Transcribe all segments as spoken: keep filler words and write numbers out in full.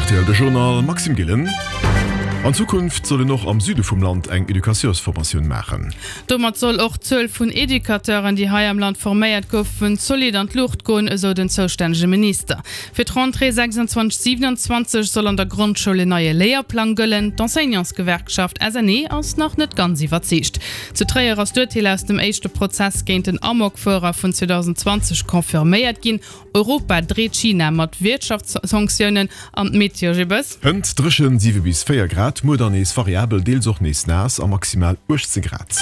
R T L de Journal, Maxime Gillen. An Zukunft soll een och am Süde vum Land eng Educateursformatioun maachen. Domat soll och d'Zuel vun Educateuren, déi hei am Land forméiert goufen, zolidd an d'Luucht goen, esou den zoustännege Minister. Fir d'Rentrée sechsundzwanzeg siewenundzwanzeg soll an der Grondschoul en neie Léierplang gëllen. D'Enseignantsgewerkschaft S N E ass nach net ganz iwwerzeegt. Zu Tréier ass d'Urteel aus dem éischte Prozess géint den Amokfuerer vun zweedausendenzwanzeg confirméiert ginn. Europa dreet China mat Wirtschaftssanktiounen an d'Meteo Gibbes. Hënt dréchen, siwe bis véier Grad, muer dann nees variabel, deels och nees naass a maximal uechtzéng Grad.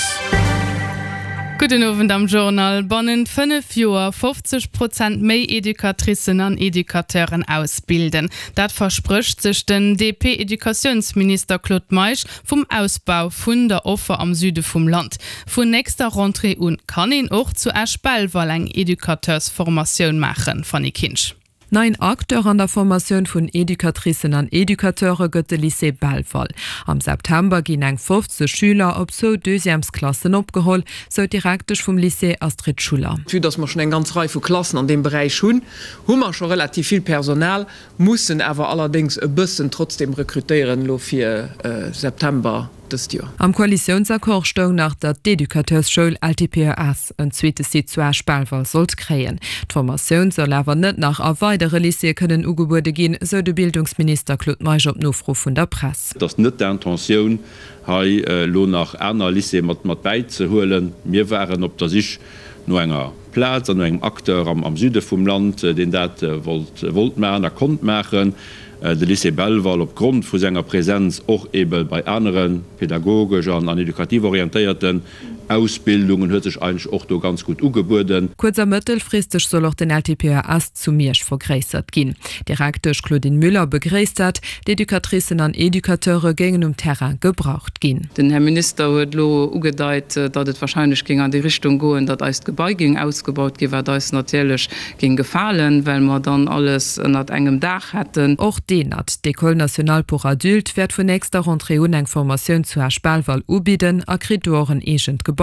Gudden Owend am Journal. Bannent fënnef Joer fofzeg Prozent méi Educatricen an Educateuren ausbilden. Dat versprécht sech den D P-Educatiounsminister Claude Meisch vum Ausbau vun der Offer am Süde vum Land. Vun nächster Rentrée un kann een och zu Esch-Belval eng Educateursformatioun maachen, Fanny Kinsch. Neien Acteur an der Formatioun vun Educatricen an Educateure gëtt de Lycée Belval. Am September ginn eng fofzeg Schüler op zwou Deuxièmesklassen opgeholl, sou d'Direktesch vum Lycée Astrid Schuller. Vue dass mer schonn eng ganz Rei vu Klassen an deem Beräich hunn, hu mer scho relativ vill Personal, mussen awer allerdéngs e bëssen trotzdem rekrutéieren elo fir September dëst Joer. Am Koalitiounsaccord stoung nach, datt d'Educateursschoul L T P E S en zweete Site zu Esch-Belval sollt kréien. D'Formatioun soll awer net nach a weidere Lycéeë kënnen ugebuede ginn, sou de Bildungsminister Claude Meisch op Nofro vun der Press. Et ass net d'Intentioun, hei elo nach aner Lycéeë mat mat bäizehuelen. Mir waren op der Sich no enger Plaz an no engem Acteur am Süde vum Land, deen dat wollt wollt maachen a konnt maachen. De Lycée Belval, opgrond vu senger Präsenz och ebe bei anere pädagogesch an an edukativ orientéierten Ausbildungen, huet sech eigentlech och do ganz gutt ugebueden. Kuerz a mëttelfristeg soll och den L T P E S zu Miersch vergréissert ginn. D'Direktesch Claudine Müller begréisst dat, d'Educatricen an Educateure géingen um Terrain gebraucht ginn. Den Här Minister huet elo ugedeit, datt et warscheinlech géing an déi Richtung goen, datt eist Gebai géing ausgebaut ginn, wat eis natierlech géing gefalen, well mer dann alles ënnert engem Daach hätten. Och d'ENAD, d'École nationale pour adultes, wäert vun nächster Rentrée un eng Formatioun zu Esch-Belval ubidden a kritt do och en eegent Gebai.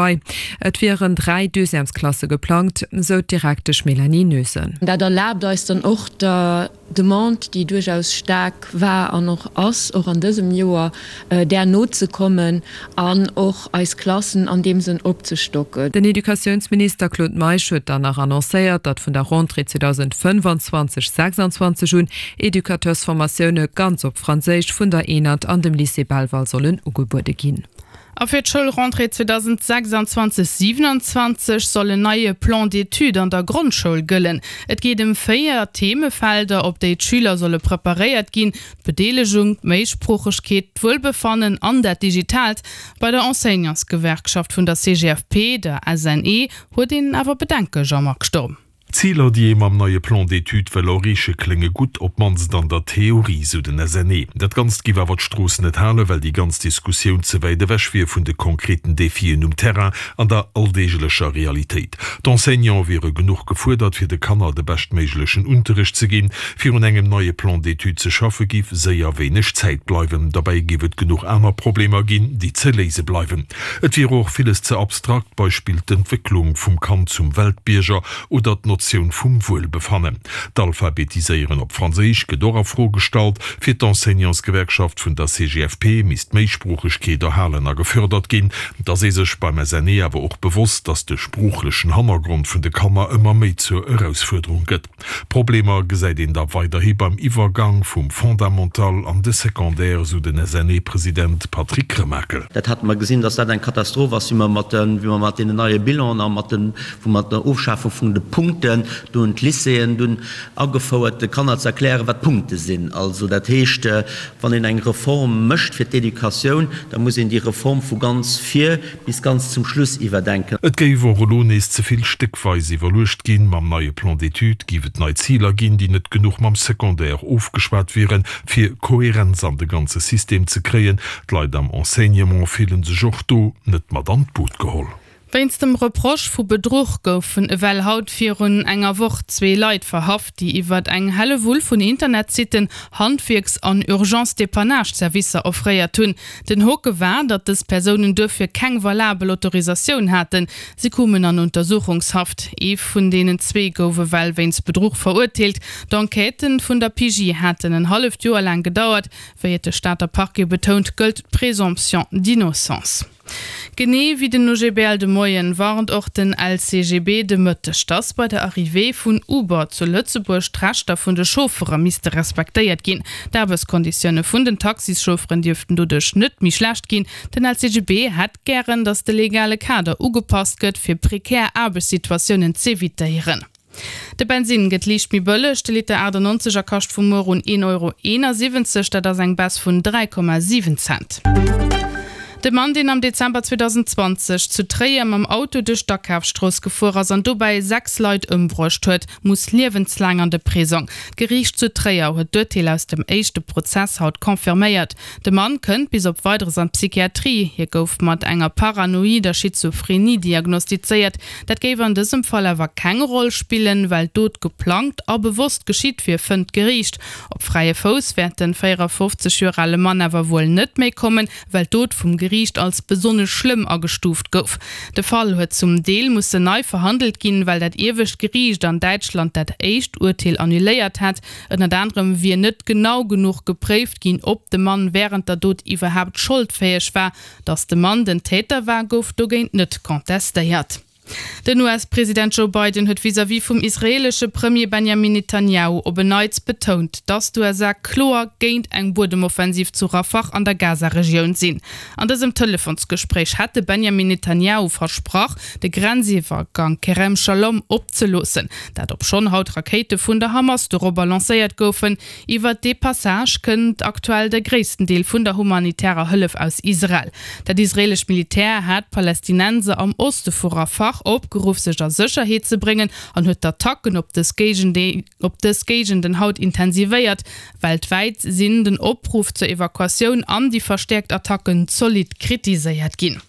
Et wieren dräi Deuxièmesklasse geplangt, sou d'Direktesch Mélanie Noesen. Dat erlaabt eis dann och der Demande, déi duerchaus staark war an och ass, och an dësem Joer, där nozekommen an och eis Klassen an deem Sënn opzestocken. Den Educatiounsminister Claude Meisch huet dann nach annoncéiert, datt vun der Rentrée zweedausendfënnefanzwanzeg sechsanzwanzeg un Educateursformatioune ganz op Franséisch vun der ENAD an dem Lycée Belval sollen ugebuede ginn. A fir d'Schoulrentrée zweedausendsechsundzwanzeg siewenundzwanzeg soll en neie Plan d'études an der Grondschoul gëllen. Et geet ëm véier Themefelder, op déi d'Schüler solle preparéiert ginn: D'Bedeelegung, d'Méisproochegkeet, d'Wuelbefannen an dat Digitaalt. Bei der Enseignantsgewerkschaft vun der C G F P, der S N E, huet een awer Bedenken, Jean-Marc Sturm. D'Ziler, déi ee mam neie Plan d'études wëll erreeche klénge gutt, op d'mannst an der Theorie, sou den S N E. Dat Ganzt giff awer d'Strooss net halen, well déi ganz Diskussioun ze wäit ewech wier vun de konkreten Defien um Terrain an der alldeeglecher Realitéit. D'Enseignante wiere genuch gefuerdert, fir de Kanner de beschtméiglechen Unterrecht ze ginn. Fir un engem neie Plan d'études ze schaffe giff séier wéineg Zäit bleiwen. Dobäi giff et genuch aner Problemer ginn, déi ze léise bleiwen. Et wier och villes ze abstrakt, Beispill d'Entwécklung vum Kand zum Weltbierger oder d'Notioun vum Wuelbefannen. D'Alphabetiséieren op Franséisch gëtt och a Fro gestallt. Fir d'Enseignantsgewerkschaft vun der C G F P misst d'Méisproochegkeet erhalen a gefërdert ginn. Et ass ee sech beim S N E awer och bewosst, datt de sproochlechen Hannergrond vun de Kanner ëmmer méi zur Erausfuerderung gëtt. Problemer gesäit een da weiderhi beim Iwwergang vum Fondamental an de Secondaire, sou den S N E-President Patrick Remakel. Dat hate mer gesinn, datt dat eng Katastroph ass, wéi mer mat de, wéi mer mat deenen neie Bilanen a mat den, wou mer der Ofschafung vun de Punkten, do hunn d'Lycéeën dunn agefouert, de Kanner ze erklären, wat Punkte sinn. Also dat heescht, wann een eng Reform mécht fir d'Educatioun, da muss een déi Reform vu ganz vir bis ganz zum Schluss iwwerdenken. Et géif och elo nees ze vill stéckweis iwwerluecht ginn. Mam neie Plan d'études géif et nei Ziler ginn, déi net genuch mam Secondaire ofgeschwat wieren, fir Kohärenz an de ganze System ze kréien. D'Leit am Enseignement fillen sech och do net mat an d'Boot geholl. Wéinst dem Reproche vu Bedruch goufen ewell haut virun enger Woch zwee Leit verhaft, déi iwwert eng Hellewull vun Internetsitten Handwierks an Urgence-Dépannage-Servicer offréiert hunn. Den Hoke war, datt dës Persounen duerfir keng valabel Autorisatioun haten. Si koumen an Untersuchungshaft. Ee vun deenen zwee gouf ewell wéinst Bedruch verurteelt. D'Enquêten vun der P J haten en halleft Joer laang gedauert. Wéi et de Stater Parquet betount, gëllt d'Présomption d'innocence. Genee wéi den O G B L de Moien warnt och den L C G B de Mëtteg, dass bei der Arrivée vun Uber zu Lëtzebuerg d'Rechter vun de Chauffere misste respektéiert ginn. D'Aarbechtskonditioune vun den Taxischaufferen dierften doduerch net méi schlecht ginn. Den L C G B hätt gären, dass de legale Kader ugepasst gëtt, fir prekär Aarbechtssituatiounen z'evitéieren. De Bensinn gëtt liicht méi bëlleg, de Liter achtannonzeg er kascht vu muer un een Euro eenasiwwenzeg, dat ass eng Baisse vun dräi Komma siwen Cent. De Mann, deen am Dezember zweedausendzwanzeg zu Tréier mam Auto duerch d'Akafsstrooss gefuer ass an dobäi sechs Leit ëmbruecht huet, muss liewenslaang an de Prisong. D'Geriicht zu Tréier huet d'Urteel aus dem éischte Prozess haut confirméiert. De Mann kënnt bis op Weideres an d'Psychiatrie. Hie gouf mat enger paranoider Schizophrenie diagnostizéiert. Dat géif an dësem Fall awer keng Roll spillen, well d'Dot geplangt a bewosst geschitt wier, fënnt d'Geriicht. Op fräie Fouss wäert de véierafofzeg Joer ale Mann awer wuel net méi kommen, well d'Dot vum Geriicht als besonnesch schlëmm agestuuft gouf. De Fall huet zum Deel mussen nei verhandelt ginn, well dat iewescht Geriicht an Däitschland dat éischt Urteel annuléiert hat. Ënnert anerem wier net genau genuch gepréift ginn, ob de Mann wärend der Dot iwwerhaapt scholdfäeg war. Datt de Mann den Täter war, gouf dogéint net contestéiert. Den U S-President Joe Biden huet vis-à-vis vum israeelesche Premier Benjamin Netanjahu op en Neits betount, datt d'U S A kloer géint eng Buedemoffensiv zu Rafah an der Gaza-Regioun sinn. An dësem Telefonsgespréich hätt de Benjamin Netanjahu versprach, de Grenziwwergang Kerem Shalom opzeloossen. Dat obschonn haut Rakéite vun der Hamas dorobber lancéiert goufen. Iwwer dee Passage kënnt aktuell de gréissten Deel vun der humanitärer Hëllef aus Israel. Dat israeelescht Militär hat d'Palästinenser am Oste vu Rafah opgeruff, sech a Sécherheet ze bréngen an huet d'Attacken op dës Géigenden op dës Géigenden haut intensivéiert. Weltwäit sinn den Opruff zur Evakuatioun an déi verstäerkt Attacken zolidd kritiséiert ginn.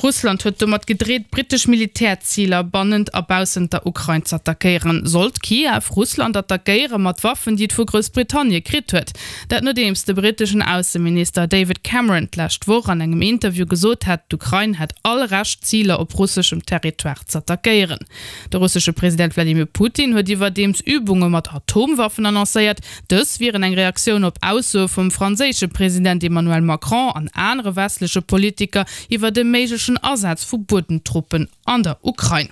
Russland huet domat gedreet, brittesch Militärziler bannent a baussent der Ukrain z'attackéieren. Sollt Kiew Russland attackéiere mat Waffen, déi et vu Groussbritannie kritt huet? Dat nodeems de britteschen Ausseminister David Cameron d'lescht Woch an engem Interview gesot hat, d'Ukrain hätt all Recht, Ziler op russeschem Territoire z'attackéieren. De russesche President Wladimir Putin huet iwwerdeems Übunge mat Atomwaffen annoncéiert. Dës wieren eng Reaktioun op Aussoe vum franséische President Emmanuel Macron an anere westleche Politiker iwwer de méiglechen Asaz vu Buedemtruppen an der Ukrain.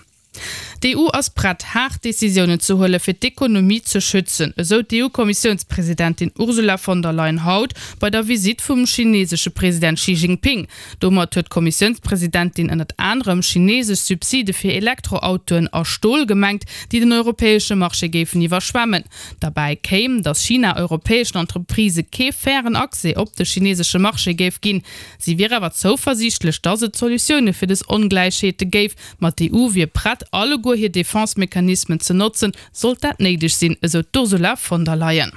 D'E U ass prett, haart Decisiounen ze huele fir d'Ekonomie ze schützen, esou d'E U-Kommissiounspresidentin Ursula von der Leyen haut bei der Visitt vum chinesesche President Xi Jinping. Domat huet d'Kommissiounspresidentin ënnert anerem chinesesch Subside fir Elektroautoen a Stol gemengt, déi den europäesche Marché géifen iwwerschwemmen. Derbäi kéim, datt China europäeschen Entreprisë kee fairen Accès op de chinesesche Marché géif ginn. Si wier awer zouversiichtlech, datt et Solutioune fir dës Ongläichheete géif, ma d'E U wier prett, alleguer hir Defense-Mechanismen ze notzen, sollt dat néideg sinn, esou d'Ursula von der Leyen.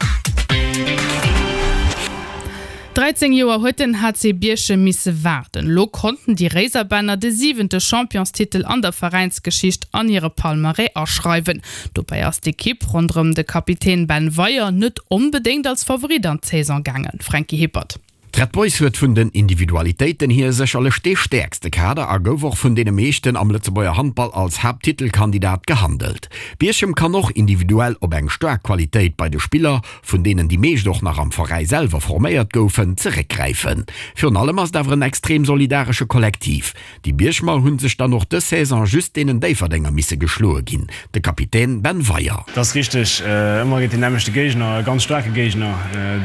Dräizéng Joer huet den H C Bierchem misse waarden. Lo konnten déi Réiserbänner de siwente Championstitel an der Veräinsgeschicht an hire Palmarès aschreiwen. Dobäi ass d'Ekipp ronderëm de Kapitän Ben Weyer net onbedéngt als Favorit an d'Saison gaangen. Franky Hippert. D'Red Boys huet vun den Individualitéiten hier sécherlech dee stäerkste Kader a gouf och vun deene meeschten am Lëtzebuerger Handball als Haapttitelkandidat gehandelt. Bierchem kann och individuell op eng staark Qualitéit bei de Spiller, vun deenen déi meescht och nach am Veräi selwer forméiert goufen, zeréckgräifen. Virun allem ass et awer en extrem solidaresche Kollektiv. Déi Bierchemer hu sech dann och dës Saison just deenen Déifferdenger misse geschloe ginn, de Kapitän Ben Weyer. Dat ass richteg, ëmmer géint den nämmlechte Géigner, e ganz staarke Géigner,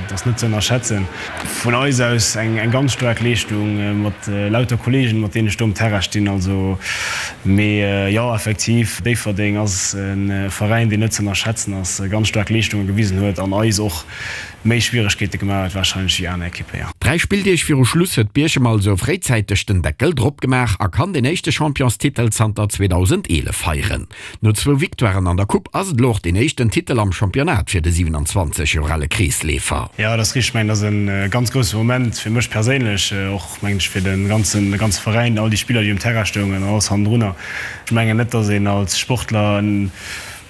dat ass net ze ënnerschätzen. Vun eis aus eng eng ganz staark Leeschtung mat lauter Kolleegen, mat deenen ech do um Terrain stinn. Also, mee jo, effektiv, Déifferdeng ass e Veräin, deen net ze ënnerschätzen ass, ganz staark Leeschtunge gewisen huet an eis och méi Schwieregkeete gemaach huet warscheinlech wéi aner Ekippen, jo. Dräi Spilldeeg viru Schluss huet Bierchem also fréizäiteg den Deckel drop gemaach a kann den éischte Championstitel zanter zweedausendeelef feieren. No zwou Victoiren an der Coupe ass et elo och deen éischten Titel am Championnat fir de siwenanzwanzeg Joer ale Kreesleefer. Jo, dat ass richteg. Ech mengen, dat ass e ganz grousse Moment fir mech perséinlech, och mengen ech fir de ganzen, de ganze Veräin, all déi Spiller, déi um Terrain stoungen an alles hannendrunner. Ech mengen net, datt een als Sportler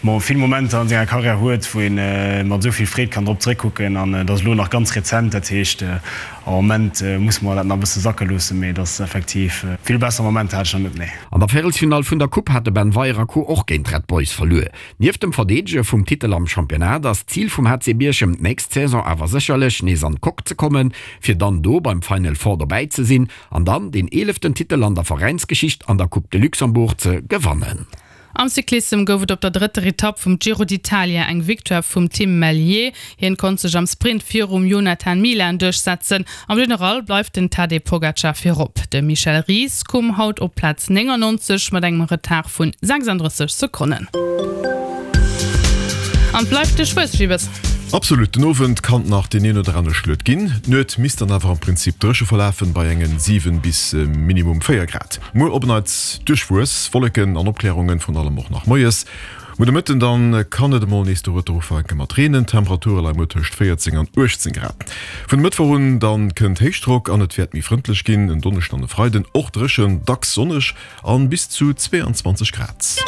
bon, vill Momenter an senger Karriär huet, wou ee mat esou vill Freed kann drop zeréckkucken. An et ass elo nach ganz rezent, dat heescht am Moment musse mer dat nach e bësse sacke loossen, mee et ass effektiv, vill besser Momenter hat ech nach net, nee. An der Véierelsfinall vun der Coupe hat de Ben Weyer a Co. Och géint d'Red Boys verluer. Nieft dem Verdeedege vum Titel am Championnat ass d'Zil vum H C Bierchem d'nächst Saison awer sécherlech nees an d'Coque ze kommen, fir dann do beim Final Four dobäi ze sinn an dann deen eeleften Titel an der Veräinsgeschicht an der Coupe de Luxembourg ze gewannen. Am Cyclissem gouf et op der drëtter Etapp vum Giro d'Italia eng Victoire vum Tim Merlier. Hien konnt sech am Sprint virum Jonathan Milan duerchsetzen. Am General bleift den Tadej Pogacar virop. De Michel Ries koum haut op Plaz néngannonzeg mat engem Retard vun sechsanddrësseg Sekonnen. An bleift duerchwuess, Gibbes? Absolut, den Owend kann nach deen een oder anere Schluet ginn. D'Nuet misst dann awer am Prinzip dréche verlafen, bei engen siwen bis minimum véier Grad. Muer op en Neits duerchwuess, Wolleken an Opklärungen, vrun allem och nach moies. Muer de Mëtten dann kann et emol nees dorueter ufänke mat reenen. D'Temperature leie muer tëscht véierzéng an uechtzéng Grad. Vun e Mëttwoch un dann kënnt Héichdrock an et wäert méi frëndlech ginn. En Donneschden an e Freiden och dréchen, dacks sonneg an bis zu zweeanzwanzeg Grad.